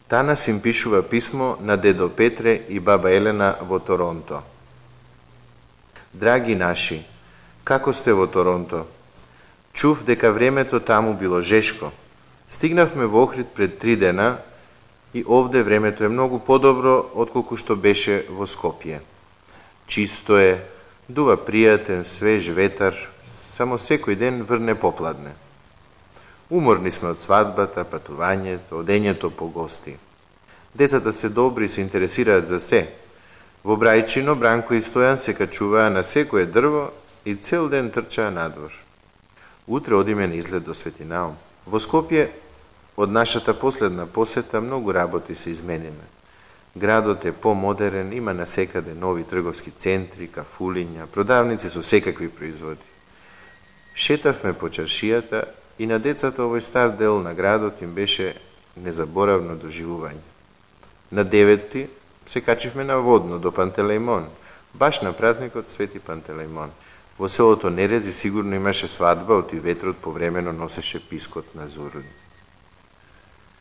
Танас им пишува писмо на дедо Петре и баба Елена во Торонто. Драги наши, како сте во Торонто? Чув дека времето таму било жешко. Стигнавме во Охрид пред 3 дена и овде времето е многу подобро отколку што беше во Скопје. Чисто е, дува пријатен, свеж ветар, само секој ден врне попладне. Уморни сме од свадбата, патувањето, одењето по гости. Децата се добри и се интересираат за се. Во Брајчино Бранко и Стојан се качуваа на секое дрво и цел ден трчаа надвор. Утре одиме на излет до Светинаум. Во Скопје, од нашата последна посета, многу работи се измениле. Градот е помодерен, има насекаде нови трговски центри, кафулиња, продавници со секакви производи. Шетавме по чаршијата и на децата овој стар дел на градот им беше незаборавно доживување. На 9 се качивме на Водно до Пантелеимон, баш на празникот Свети Пантелеимон. Во селото Нерези сигурно имаше свадба, оти ветрот повремено носеше пискот на зурни.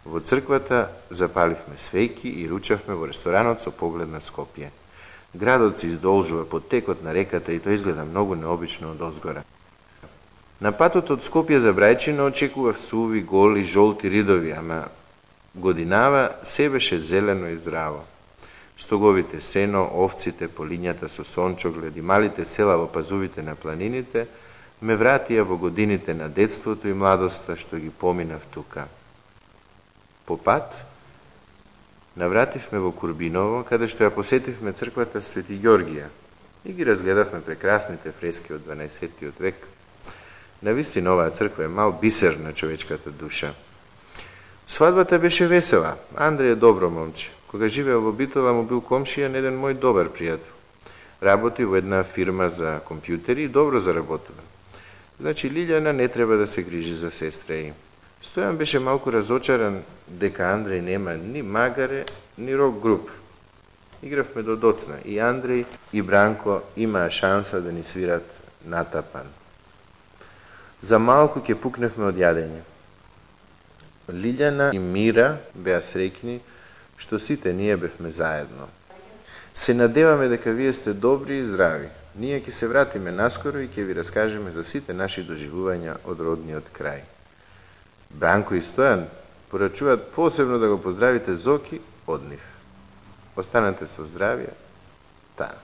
Во црквата запаливме свејки и ручавме во ресторанот со поглед на Скопје. Градот се издолжува под текот на реката и тој изгледа многу необично од озгора. На патот од Скопје за Брајчино очекував суви, голи, жолти ридови, ама годинава се беше зелено и здраво. Стоговите сено, овците, полињата со сончоглед и малите села во пазувите на планините ме вратија во годините на детството и младоста што ги поминав тука. По пат навративме во Курбиново, каде што ја посетивме црквата Свети Ѓоргија и ги разгледавме прекрасните фрески од 12 век. Навистина оваа црква е мал бисер на човечката душа. Свадбата беше весела. Андреј е добро момче. Кога живеел во Битола, му бил комшија на еден мој добар пријател. Работи во една фирма за компјутери и добро заработува. Значи, Лилјана не треба да се грижи за сестра им. Стојан беше малку разочаран дека Андреј нема ни магаре, ни рок груп. Игравме до доцна и Андреј и Бранко имаа шанса да ни свират натапан. За малку ќе пукневме од јадење. Лилјана и Мира беа среќни што сите ние бевме заедно. Се надеваме дека вие сте добри и здрави. Ние ќе се вратиме наскоро и ќе ви раскажеме за сите наши доживувања од родниот крај. Бранко и Стојан порачуваат посебно да го поздравите Зоки од нив. Останете со здравје. Таа.